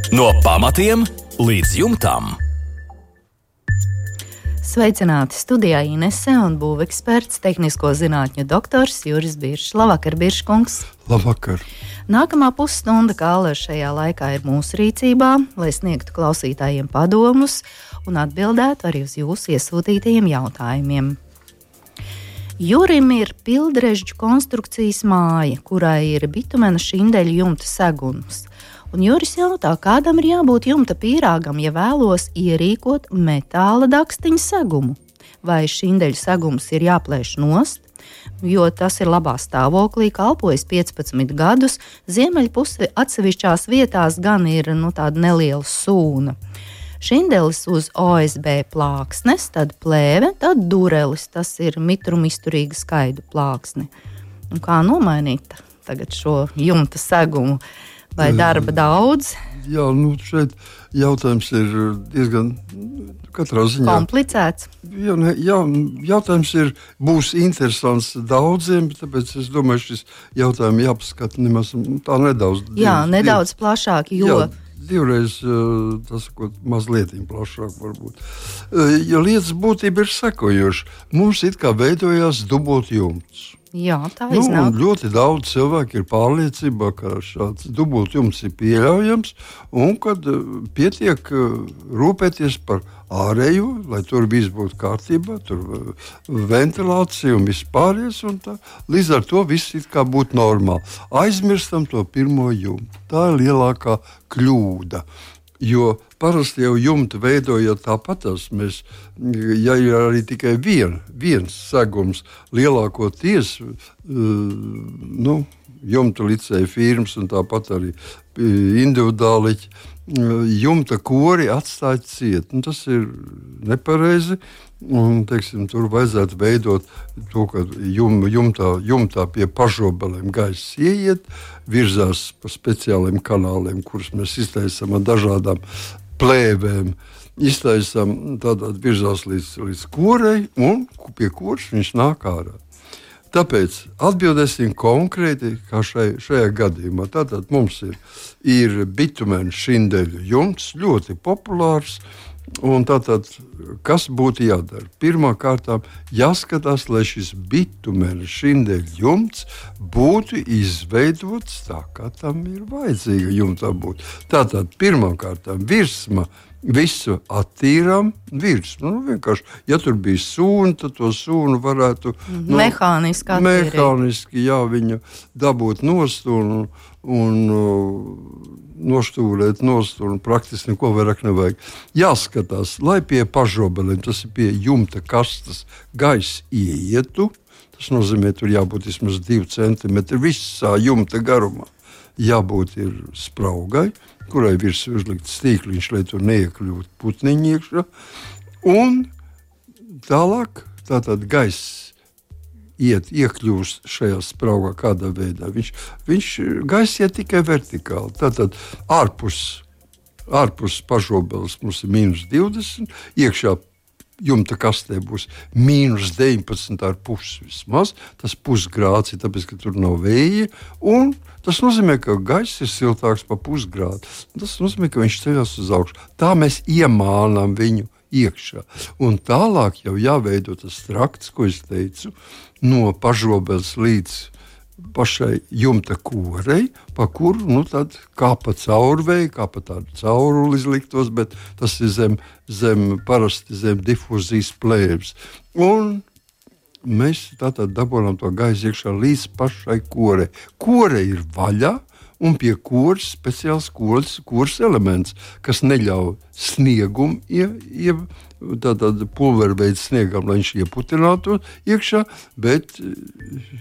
No pamatiem līdz jumtam. Sveicināti studijā Inese un būveksperts, tehnisko zinātņu doktors Juris Biršs. Labvakar, Birškungs! Labvakar! Nākamā pusstunda, kā ar šajā laikā ir mūsu rīcībā, lai sniegtu klausītājiem padomus un atbildētu arī uz jūsu iesūtītajiem jautājumiem. Jurim ir pildrežģu konstrukcijas māja, kurai ir bitumena šindeļu jumta seguns. Un Juris jautā, kādam ir jābūt jumta pīrāgam, ja vēlos ierīkot metāla dakstiņa segumu? Vai šindeļu segums ir jāplēš nost, jo tas ir labā stāvoklī, kalpojas 15 gadus, ziemeļpusē atsevišķās vietās gan ir tāda neliela sūna. Šindelis uz OSB plāksnes, tad plēve, tad durelis, tas ir mitrumizturīga skaidu plāksne. Un kā nomainīt tagad šo jumta segumu? Vai darba daudz? Jā, šeit jautājums ir diezgan katrā ziņā komplicēts. Jautājums būs interesants daudziem, tāpēc es domāju, šis jautājums jāpaskata nemaz tā nedaudz. Nedaudz plašāk, jo... Divreiz, mazliet plašāk varbūt. Jo lietas būtība ir sekojoša. Mums it kā veidojās dubultjumts. Jā, tā iznāk. Ļoti daudz cilvēku ir pārliecībā, ka šāds dubultjumts ir pieļaujams un kad pietiek rūpēties par ārējo, lai tur viss būtu kārtībā, tur ventilācija un viss pāries, un tā. Līdz ar to viss it kā būtu normāli. Aizmirstam to pirmo jumtu. Tā ir lielākā kļūda. Jo parasti jau jumtu veidojot tāpatās, ja ir arī tikai viens segums, lielākoties jumta licēja firmas un tāpat arī individuāliķi, jumta kori atstāt ciet. Tas ir nepareizi. Un, tur vajadzētu veidot to, ka jumtā pie pažobelēm gaiss ieiet, virzās pa speciāliem kanāliem, kurus mēs iztaisām ar dažādām plēvēm. Iztaisām tādā virzās līdz korei, un pie koras viņš nāk ārā. Tāpēc atbildēsim konkrēti, kā šajā gadījumā. Tātad mums ir bitumena šindeļu jumts, ļoti populārs. Un tātad, kas būtu jādara? Pirmkārt, jāskatās, lai šis bitumena šindeļu jumts būtu izveidots tā, kā tam ir vajadzīga jumtā būt. Tātad, pirmkārt, virsma visu attīrām virsmu. Vienkārši, ja tur bija sūna, tad to sūnu varētu mehāniski attīrīt. Mehāniski, viņu dabūt nost un noštūrēt nost, un praktiski neko vairāk nevajag. Jāskatās, lai pie pažobeliem, tas ir pie jumta kastes, gaiss ieietu. Tas nozīmē, tur jābūt vismaz 2 centimetri visā jumta garumā. Jābūt ir spraugai, kurai virsū uzlikts stīkliņš, lai tur neiekļūtu putniņi iekšā. Un tālāk tātad gaiss iekļūst šajā spraugā kādā veidā. Gaiss iet tikai vertikāli. Tātad ārpus pažobeles mums ir -20, iekšā jumta kastē būs -19,5 vismaz. Tas pusgrāds ir tāpēc, ka tur nav vēja. Un tas nozīmē, ka gaiss ir siltāks pa pusgrādu. Tas nozīmē, ka viņš ceļās uz augšu. Tā mēs iemānām viņu iekšā. Un tālāk jau jāveido tas trakts, ko es teicu, no pažobeles līdz pašai jumta korei, pa kuru tad kā pa caurvēju, kā pa tādu cauruli izliktos, bet tas ir parasti zem difūzijas plēves. Un mēs tātad dabūjām to gaisu iekšā līdz pašai korei. Kore ir vaļā, un pie koras speciāls koras elements, kas neļauj sniegumu, tātad pulverveidu sniegam, lai viņš ieputinātu iekšā, bet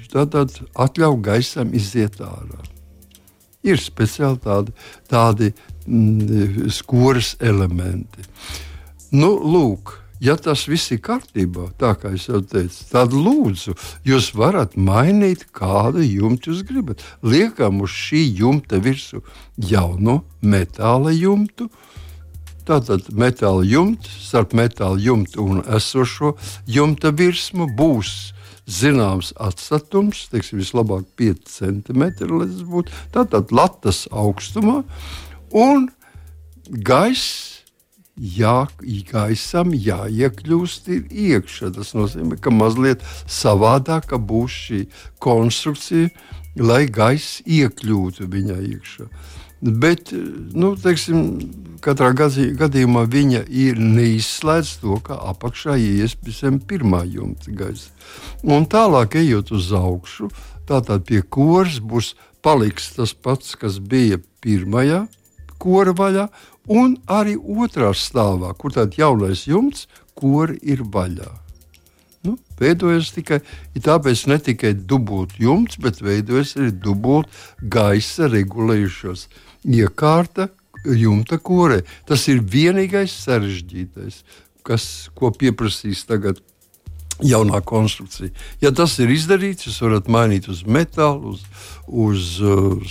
tātad atļauj gaisam iziet ārā. Ir speciāli tādi koras elementi. Lūk, ja tas viss ir kārtībā, tā kā es jau teicu, tad lūdzu, jūs varat mainīt, kādu jumtu jūs gribat. Liekam uz šī jumta virsmu jauno metāla jumtu. Tātad metāla jumts, starp metāla jumtu un esošo jumta virsmu būs zināms atstatums, vislabāk 5 cm, lai tas būtu. Tātad latas augstumā un gaisam jāiekļūst iekšā. Tas nozīmē, ka mazliet savādāka būs šī konstrukcija, lai gaiss iekļūtu viņā iekšā. Bet, katrā gadījumā viņa ir neizslēdz to, ka apakšā ieies visiem pirmā jumta gaisa. Un tālāk ejot uz augšu, tātad pie koras paliks tas pats, kas bija pirmajā kora vaļā, un arī otrā stāvā, kur tāds jaunais jumts, kori ir vaļā. Veidojas tāpēc ne tikai dubult jumts, bet veidojas arī dubult gaisa regulējušos iekārta jumta korē. Tas ir vienīgais sarežģītais, ko pieprasīs tagad jaunā konstrukcija. Ja tas ir izdarīts, jūs varat mainīt uz metālu, uz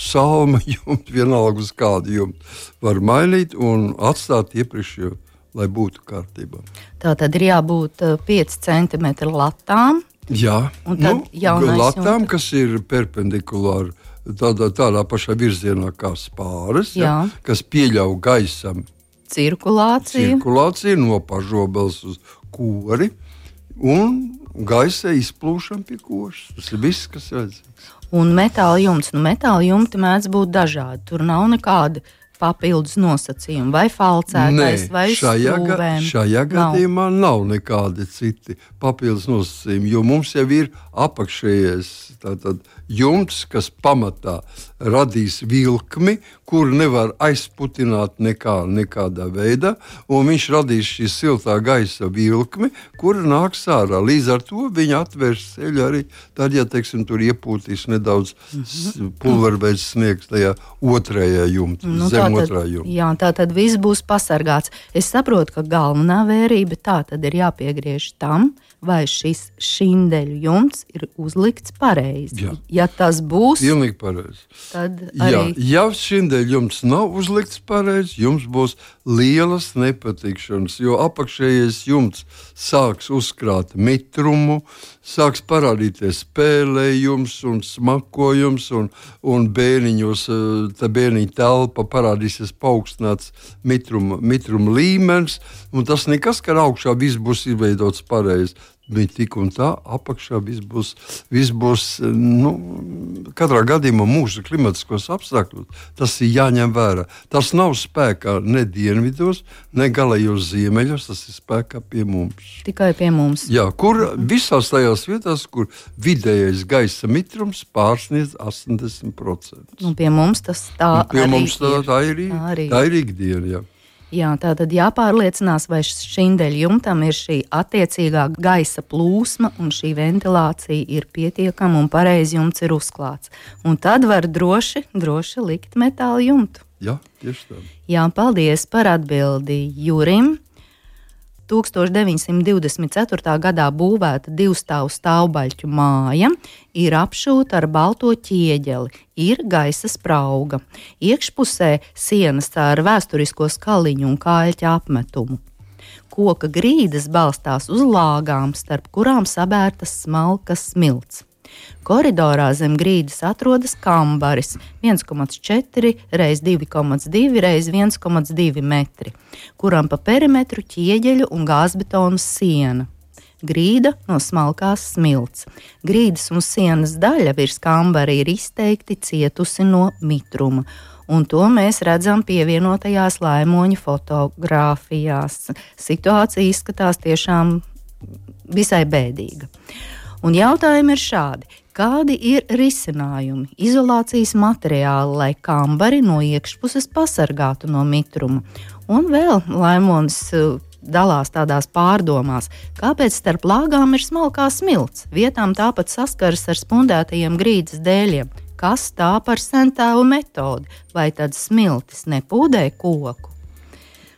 salma jumtu, vienalga uz kādu jumtu. Var mainīt un atstāt iepriekšējo, lai būtu kārtībā. Tā tad ir jābūt 5 cm latām. Jā, latām, jumta, kas ir perpendikulāri tādā pašā virzienā kā spāres, kas pieļauj gaisam cirkulāciju no pažobels uz kori un gaisa izplūšana pie koras. Tas ir viss, kas vajadzīgs. Un metāla jumts. Metāla jumti mēdz būt dažādi. Tur nav nekāda papildus nosacījumi, vai falcētais, vai stūvēm. Šajā gadījumā nav nekādi citi papildus nosacījumi, jo mums jau ir apakšējais jumts, kas pamatā radīs vilkmi, kuru nevar aizputināt nekādā veidā, un viņš radīs šī siltā gaisa vilkmi, kura nāks ārā. Līdz ar to viņa atvērs ceļu arī tad, ja, tur iepūtīs nedaudz pulverveids sniegs tajā otrajā jumtā, zem otrā jumta. Jā, tā tad viss būs pasargāts. Es saprotu, ka galvenā vērība tā tad ir jāpiegriež tam, vai šis šindeļu jumts ir uzlikts pareizi. Jā. Ja tas būs, pilnīgi pareizi. Tad arī... Ja šindeļu jumts nav uzlikts pareizi, jums būs lielas nepatikšanas, jo apakšējais jumts sāks uzkrāt mitrumu, sāks parādīties spēlējums un smakojums, un bēniņos, tā bēniņa telpa parādīsies paaugstināts mitruma līmenis, un tas nekas, ka augšā viss būs izveidots pareizi. Bet tik un tā apakšā viss būs katrā gadījumā mūsu klimatiskos apstākļos. Tas ir jāņem vērā. Tas nav spēkā ne dienvidos, ne galējos ziemeļos, tas ir spēkā pie mums. Tikai pie mums. Jā, kur visās tajās vietās, kur vidējais gaisa mitrums pārsniedz 80%. Pie mums tas tā ir ikdiena, jā. Jā, tā tad jāpārliecinās, vai šindeļu jumtam ir šī attiecīgā gaisa plūsma un šī ventilācija ir pietiekama un pareizi jumts ir uzklāts. Un tad var droši likt metāla jumtu. Jā, tieši tā. Jā, paldies par atbildi Jurim. 1924. gadā būvēta 2-stāvu stāvbaļķu māja, ir apšūta ar balto ķieģeli, ir gaisa sprauga. Iekšpusē sienas ar vēsturisko skaliņu un kāļķa apmetumu. Koka grīdas balstās uz lāgām, starp kurām sabērtas smalkas smilts. Koridorā zem grīdas atrodas kambaris 1,4 x 2,2 x 1,2 metri, kuram pa perimetru ķieģeļu un gāzbetonu siena. Grīda no smalkās smilts. Grīdas un sienas daļa virs kambara ir izteikti cietusi no mitruma, un to mēs redzam pievienotajās Laimoņa fotogrāfijās. Situācija izskatās tiešām visai bēdīga. Un jautājumi ir šādi. Kādi ir risinājumi, izolācijas materiāli, lai kambari no iekšpuses pasargātu no mitruma? Un vēl Laimons dalās tādās pārdomās, kāpēc starp lāgām ir smalkā smilts, vietām tāpat saskaras ar spundētajiem grīdas dēļiem. Kas tā par sentēvu metodi? Vai tad smiltis nepūdē koku?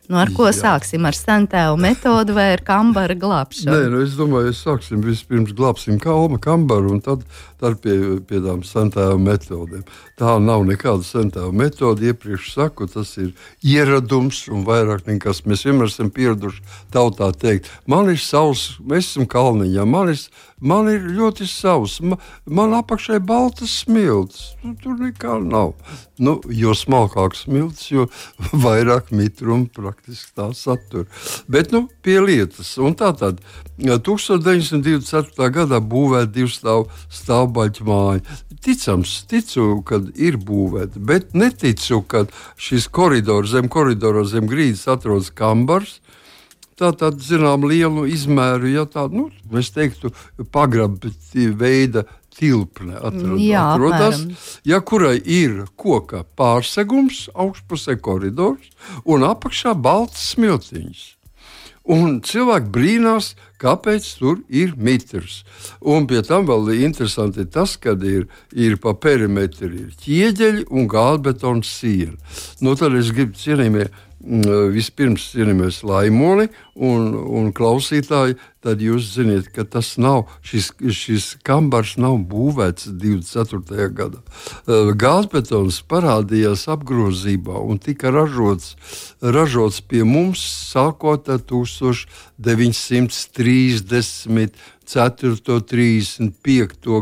Ar ko sāksim? Ar sentēvu metodu vai ar kambara glābšanu? Nē, es domāju, sāksim vispirms glābsim kalma kambaru, un tad tā ir pie tām sentēvu metodēm. Tā nav nekāda sentēvu metode, iepriekš saku, tas ir ieradums un vairāk nekas. Mēs vienmēr esam pieraduši tautā teikt, man ir savs, mēs esam kalniņā, man ir ļoti savs, man apakšai baltas smilts, tur nekā nav. Jo smalkāks smilts, jo vairāk mitrumu praktiski tā satur. Bet, pie lietas. Un tātad 1924. gadā būvēta 2 stāvbaļķu māja. Ticu, kad ir būvēta, bet neticu, kad šis koridors, zem grīdas atrodas kambars. Tātad, zinām, lielu izmēru, ja tādu, mēs teiktu, pagraba veida tilpne atrodas, ja kurai ir koka pārsegums, augšpusē koridors un apakšā balts smiltiņš. Un cilvēki brīnās, kāpēc tur ir mitrs. Un pie tam vēl interesanti ir tas, kad ir pa perimetru ir ķieģeļi un gāzbetona siena. Tad es gribu vispirms cienījamies Laimoni un klausītāji, tad jūs ziniet, ka tas nav, šis kambars nav būvēts 24. gadā. Gāzbetons parādījās apgrozībā un tika ražots pie mums sākot ar 1934. 35.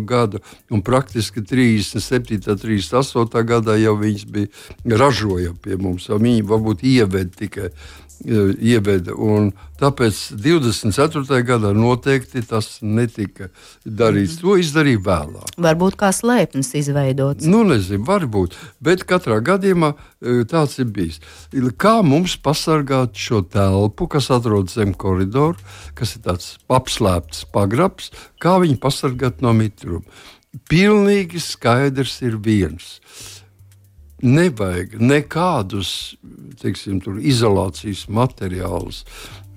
gadu un praktiski 37. 38. gadā jau viņas bija ražoja pie mums, viņi varbūt ieveda, un tāpēc 24. gadā noteikti tas netika darīts. To izdarīja vēlāk. Varbūt kā slēpnis izveidots. Nezinu, varbūt, bet katrā gadījumā tāds ir bijis. Kā mums pasargāt šo telpu, kas atrodas zem koridoru, kas ir tāds apslēpts pagrabs, kā viņu pasargāt no mitruma? Pilnīgi skaidrs ir viens. Nevajag nekādus, teiksim, izolācijas materiālus.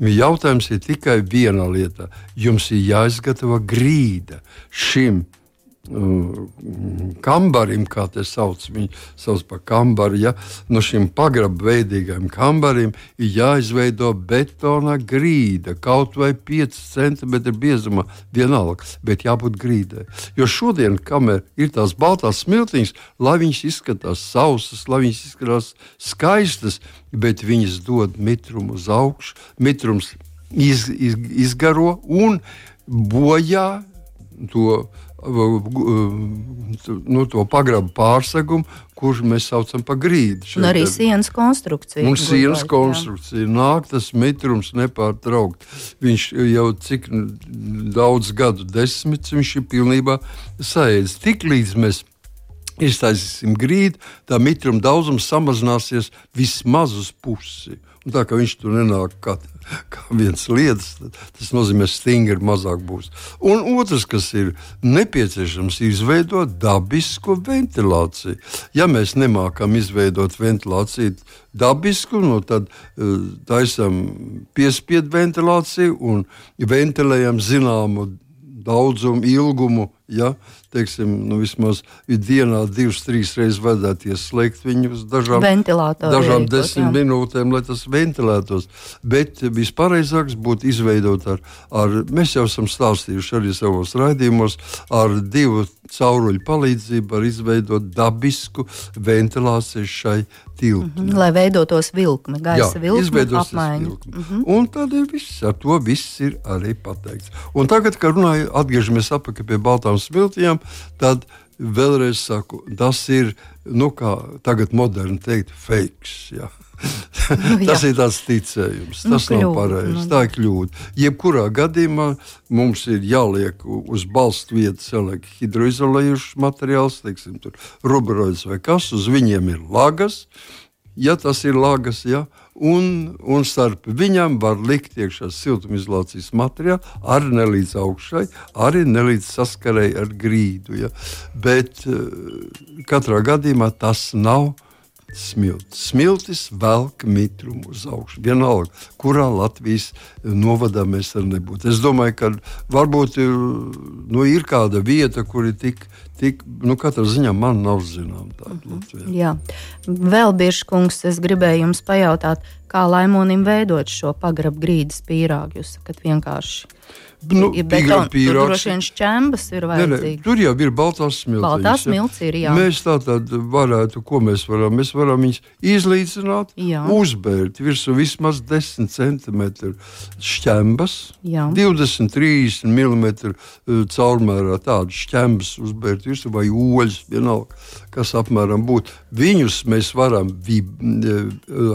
Jautājums ir tikai viena lieta. Jums ir jāizgatavo grīda šim kambarim, kā te sauc, viņi sauc par kambaru, ja? No šim pagrabveidīgajam kambarim ir jāizveido betona grīda, kaut vai 5 centimetri biezumā, vienalga, bet jābūt grīdai. Jo šodien, kamēr ir tās baltās smiltiņas, lai viņas izskatās sausas, lai viņas izskatās skaistas, bet viņas dod mitrumu uz augšu, mitrums izgaro un bojā to pagrabu pārsegumu, kurš mēs saucam par grīdu. Un arī sienas konstrukcija. Un sienas konstrukcija. Nāk tas mitrums nepārtraukt. Viņš jau cik daudz gadu desmitus, viņš ir pilnībā saēdis. Tiklīdz mēs iztaisīsim grīdu, tā mitruma daudzums samazināsies vismaz uz pusi. Un tā kā viņš tur nenāk kā viens lietas, tas nozīmē, stingri mazāk būs. Un otrs, kas ir nepieciešams, izveidot dabisku ventilāciju. Ja mēs nemākam izveidot ventilāciju dabisku, tad taisam piespiedu ventilāciju un ventilējam zināmu daudzumu, ilgumu, ja, teiksim, vismaz dienā 2-3 reizes vajadzētu ieslēgt viņu uz dažām 10 minūtēm, lai tas ventilētos. Bet vispareizāks būtu izveidot mēs jau esam stāstījuši arī savos raidījumos, ar 2 cauruļu palīdzību var izveidot dabisku ventilāciju šai tilpnei. Lai veidotos vilkme, gaisa vilkme, apmaiņa. Un tad ir viss, ar to viss ir arī pateikts. Un tagad, kad atgriežamies atpakaļ pie baltām smiltiņām, tad vēlreiz saku, tas ir, kā tagad moderni teikt, fakes, jā. Tas ir tāds ticējums, tas nav pareizi, tā ir kļūda. Jebkurā gadījumā mums ir jāliek uz balstu vietas jāliek hidroizolējušs materiāls, teiksim, tur rubroids vai kas, uz viņiem ir lagas, ja tas ir lagas, ja, un starp viņam var likt iekšā siltumizolācijas materiālu, arī nelīdz augšai, arī nelīdz saskarei ar grīdu, ja. Bet katrā gadījumā tas nav smiltis. Smiltis velk mitrumu uz augšu. Vienalga, kurā Latvijas novadā mēs arī nebūtu. Es domāju, ka varbūt ir kāda vieta, kur ir tik katrā ziņā man nav zinām tāda Latvijā. Jā. Vēl, Birškungs, es gribēju jums pajautāt, Kā laimonim veidot šo pagrabu grīdas pīrāgu? Jūs sakat vienkārši. Ir betona, tur droši vien šķembas ir vajadzīgi. Tur jau ir baltās smiltiņas. Baltās smilts ir, jā. Mēs tātad varētu, ko mēs varam? Mēs varam viņus izlīdzināt, uzbērt virsū vismaz 10 centimetru šķembas, 20-30 milimetru caurmērā tādu šķembas uzbērt virsū vai oļus, vienalga, kas apmēram būtu. Viņus mēs varam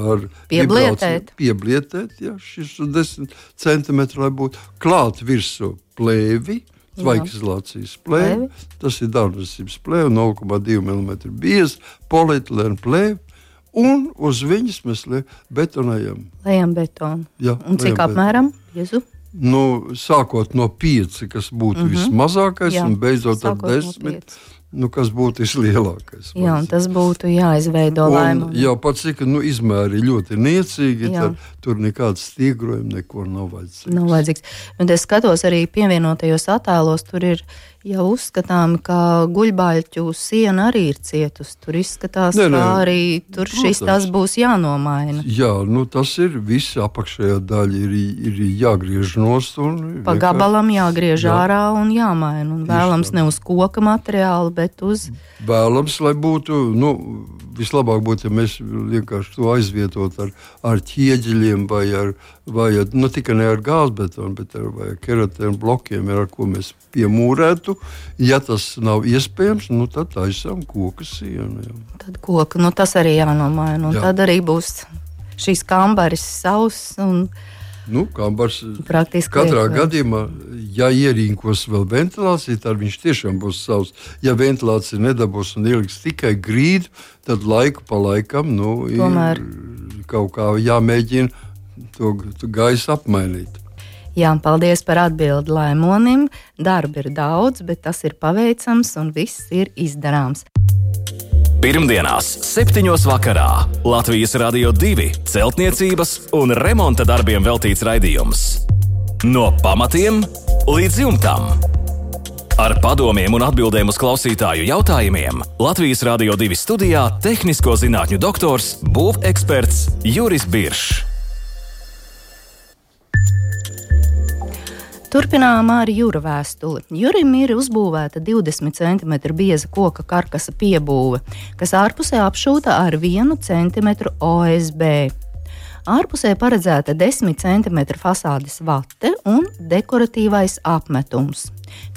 ar pieblietēt, šis 10 centimetru, lai būtu klāt virsū plēvi, zvaigznes plēvi, tas ir dārnvesības plēve, 0,2 mm bieza, polietilēna plēve, un uz viņas mēs betonējam. Lejam betonu. Jā, un cik apmēram, Jezu? Sākot no 5, kas būtu vismazākais, un beidzot ar 10, kas būtu vislielākais. Jā, un tas būtu jāizveido laimoni. Jā, pats cik izmēri ļoti niecīgi, tad tur nekāds stiegrojumi, neko nav vajadzīgs. Un es skatos arī pievienotajos attēlos, tur ir jau uzskatām, ka guļbaļķu siena arī ir cietusi. Tur izskatās, ka arī tur tas būs jānomaina. Jā, tas ir viss apakšējā daļa ir jāgriež nost. Pa gabalam jāgriež ārā un jāmaina. Un vēlams ne uz koka materiālu, bet uz... Vēlams, lai būtu, vislabāk būtu, ja mēs vienkārši to aizvietot ar ķieģeļiem vai tikai ne ar gāzbetonu, bet ar keratēnu blokiem, ar ko mēs piemūrētu. Ja tas nav iespējams, tad taisām koka sienu. Tad koka, tas arī jānomaina. Un tad arī būs šīs kambaris sauss un... Kambars praktiski katrā gadījumā, ja ierīkos vēl ventilāciju, tad viņš tiešām būs savs. Ja ventilācija nedabūs un ieliks tikai grīdu, tad laiku pa laikam ir kaut kā jāmēģina to gaisu apmainīt. Jā, paldies par atbildi laimonim. Darba ir daudz, bet tas ir paveicams un viss ir izdarāms. Pirmdienās 7. vakarā Latvijas Radio 2 celtniecības un remonta darbiem veltīts raidījums. No pamatiem līdz jumtam. Ar padomiem un atbildēm uz klausītāju jautājumiem Latvijas Radio 2 studijā tehnisko zinātņu doktors, būveksperts Juris Biršs. Turpinām ar Jura vēstuli. Jurim ir uzbūvēta 20 cm bieza koka karkasa piebūve, kas ārpusē apšūta ar 1 cm OSB. Ārpusē paredzēta 10 cm fasādes vate un dekoratīvais apmetums.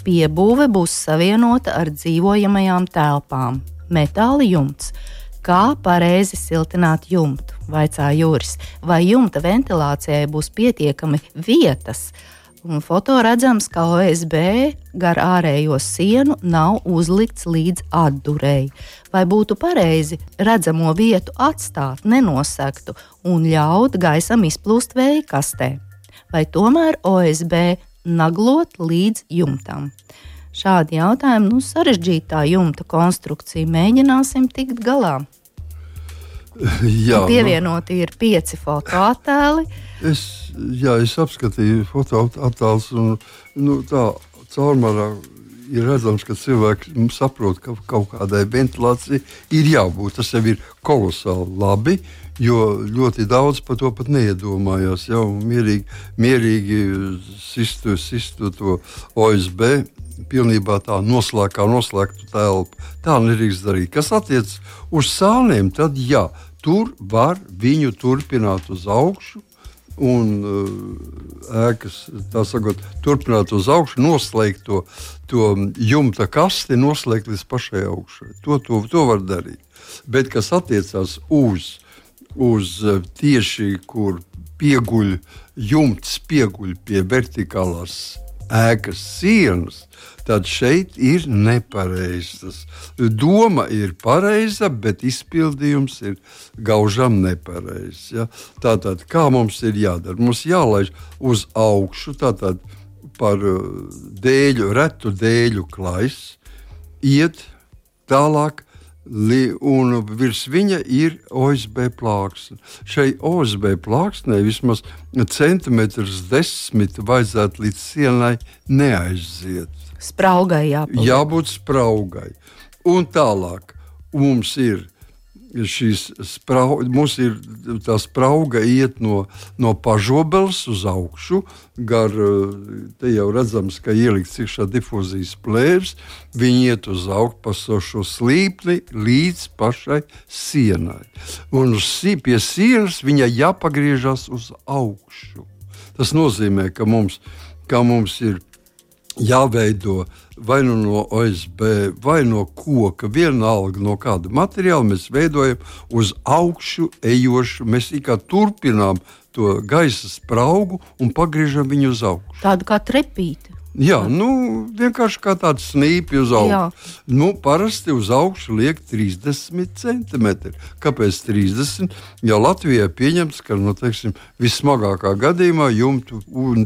Piebūve būs savienota ar dzīvojamajām telpām. Metāla jumts. Kā pareizi siltināt jumtu? Vaicā Juris. Vai jumta ventilācijai būs pietiekami vietas? Un foto redzams, ka OSB gar ārējo sienu nav uzlikts līdz atdurei. Vai būtu pareizi redzamo vietu atstāt nenosegtu un ļaut gaisam izplūst vēja kastē? Vai tomēr OSB naglot līdz jumtam? Šādi jautājumi, sarežģītā jumta konstrukcija, mēģināsim tikt galā. Jā, pievienoti ir 5 fotoattēli. Es apskatīju fotoattēlus un tā caurmērā ir redzams, ka cilvēki saprot, ka kaut kādai ventilācijai ir jābūt. Tas jau ir kolosāli labi, jo ļoti daudz par to pat neiedomājās. Jau mierīgi sistu to OSB. Pilnībā tā noslēgtu telpu. Tā nedrīkst darīt. Kas attiec uz sāniem, tad tur var viņu turpināt uz augšu un ēkas, tā sakot, turpināt uz augšu, noslēgt to jumta kasti, noslēgt līdz pašai augšai. To var darīt. Bet kas attiecās uz tieši, kur jumts pieguļ pie vertikālās ēkas sienas, tad šeit ir nepareizs. Doma ir pareiza, bet izpildījums ir gaužam nepareizs. Ja? Tātad, kā mums ir jādara? Mums jālaiž uz augšu, tātad par retu dēļu klais, iet tālāk, un virs viņa ir OSB plāksne. Šai OSB plāksnei vismaz 1,10 centimetri vajadzētu līdz sienai neaiziet. Spraugai jābūt. Jābūt spraugai. Un tālāk mums ir mums ir tā sprauga iet no pažobeles uz augšu, te jau redzams, ka ielikts iekšā difūzijas plēvs, viņi iet uz augšu pa šo slīpni līdz pašai sienai. Un pie sienas viņa jāpagriežas uz augšu. Tas nozīmē, ka mums ir jāveido vai no OSB, vai no koka, vienalga no kāda materiāla, mēs veidojam uz augšu ejošu, mēs kā turpinām to gaisa spraugu un pagriežam viņu uz augšu. Tādu kā trepīti. Jā, vienkārši kā tāda snīpi uz augšu. Parasti uz augšu liek 30 centimetri. Kāpēc 30? Ja Latvijā pieņemts, ka vissmagākā gadījumā jumtu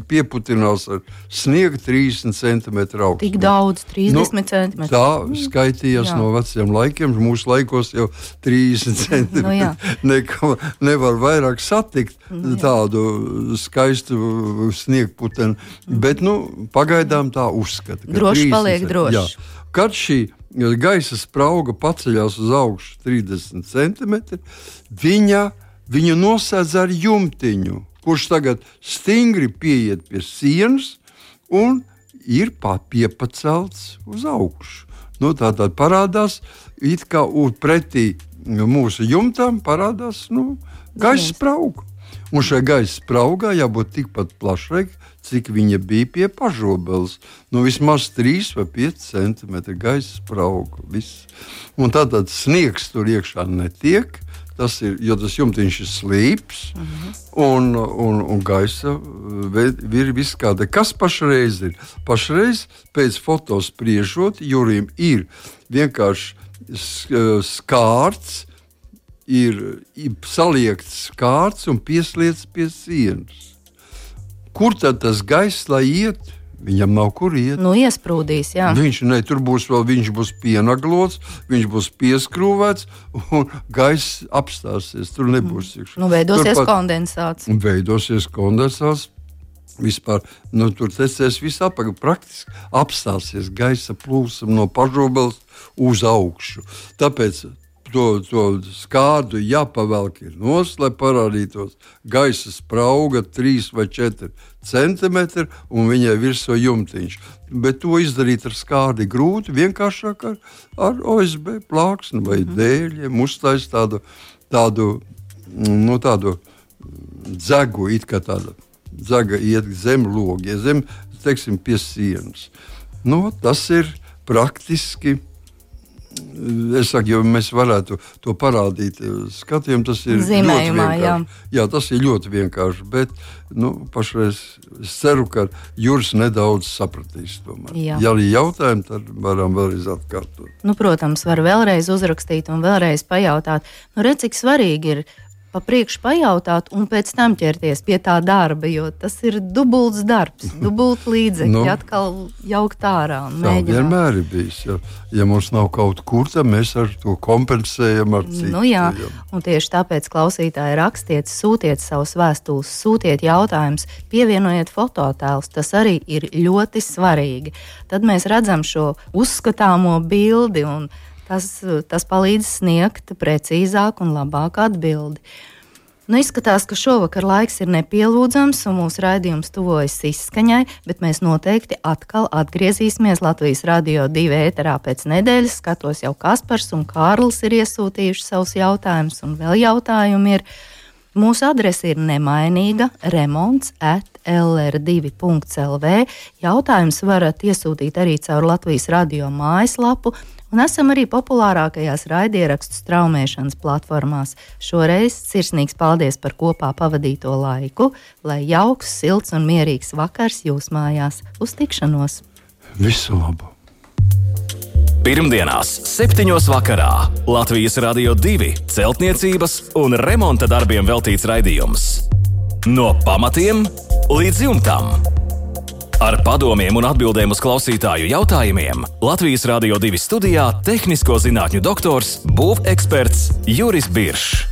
pieputinās ar sniegu 30 centimetru augstu. Tik daudz, 30 centimetri. Tā skaitījās no veciem laikiem. Mūsu laikos jau 30 centimetri. Nevar vairāk satikt tādu skaistu sniegputeni. Bet, pagaidām tā uzskata. Droši paliek droši. Jā. Kad šī gaisa sprauga paceļās uz augšu 30 centimetri, viņu nosēdz ar jumtiņu, kurš tagad stingri pieiet pie sienas un ir piepacelts uz augšu. Tātad parādās, it kā pretī mūsu jumtam parādās gaisa sprauga. Un šai gaisa spraugā jābūt tikpat plašai, cik viņa bija pie pažobeles. Vismaz 3 vai 5 centimetri gaisa sprauga. Un tātad sniegs tur iekšā netiek, jo tas jumtiņš ir slīps, un gaisa ir viss kāda. Kas pašreiz ir? Pašreiz pēc fotospriežot, Jurim ir vienkārši skārts, ir saliekts skārts un piesliets pie sienas. Kur tad tas gaiss, lai iet? Viņam nav kur iet. Iesprūdīs, jā. Tur viņš būs pienaglots, viņš būs pieskrūvēts un gaiss apstāsies. Tur nebūs iekšā. Veidosies kondensāts. Veidosies kondensāts. Vispār, tur tecēs viss apakaļ. Praktiski apstāsies gaisa plūsma no pažobeles uz augšu. Tāpēc to skārdu jāpavelk ir nost, lai parādītos gaisa sprauga 3 vai 4 centimetri un viņai virsū jumtiņš. Bet to izdarīt ar skārdi grūti, vienkāršāk ar OSB plāksni vai dēļiem, uztais tādu dzegu, it kā tāda dzega iet zem logi, zem, pie sienas. Tas ir praktiski. Es saku, ja mēs varētu to parādīt skatījumam, tas ir zīmējumā, ļoti vienkārši. Jā, tas ir ļoti vienkārši, bet pašreiz es ceru, ka Juris nedaudz sapratīs tomēr. Ja arī jautājumi, tad varam vēlreiz atkārtot. Protams, var vēlreiz uzrakstīt un vēlreiz pajautāt. Redz, cik svarīgi ir pa priekšu pajautāt un pēc tam ķerties pie tā darba, jo tas ir dubults darbs, dubult līdzekļi, atkal jaukt ārā un mēģināt. Tā vienmēr ir bijis. Ja mums nav kaut kur, tad mēs ar to kompensējam ar citu. Un tieši tāpēc klausītāji rakstiet, sūtiet savus vēstules, sūtiet jautājumus, pievienojiet fototēlus, tas arī ir ļoti svarīgi. Tad mēs redzam šo uzskatāmo bildi un tas palīdz sniegt precīzāku un labāku atbildi. Izskatās, ka šovakar laiks ir nepielūdzams un mūsu raidījums tuvojas izskaņai, bet mēs noteikti atkal atgriezīsimies Latvijas Radio 2 ēterā pēc nedēļas. Skatos, jau Kaspars un Kārlis ir iesūtījuši savus jautājumus un vēl jautājumi ir. Mūsu adrese ir nemainīga remonts@lr2.lv. Jautājumus varat iesūtīt arī caur Latvijas Radio mājaslapu. Un esam arī populārākajās raidierakstu straumēšanas platformās. Šoreiz sirsnīgs paldies par kopā pavadīto laiku, lai jauks, silts un mierīgs vakars jūs mājās. Uz tikšanos! Visu labu! Pirmdienās 7. vakarā Latvijas Radio 2 celtniecības un remonta darbiem veltīts raidījums. No pamatiem līdz jumtam. Ar padomiem un atbildēm uz klausītāju jautājumiem Latvijas Radio 2 studijā tehnisko zinātņu doktors, būveksperts Juris Biršs.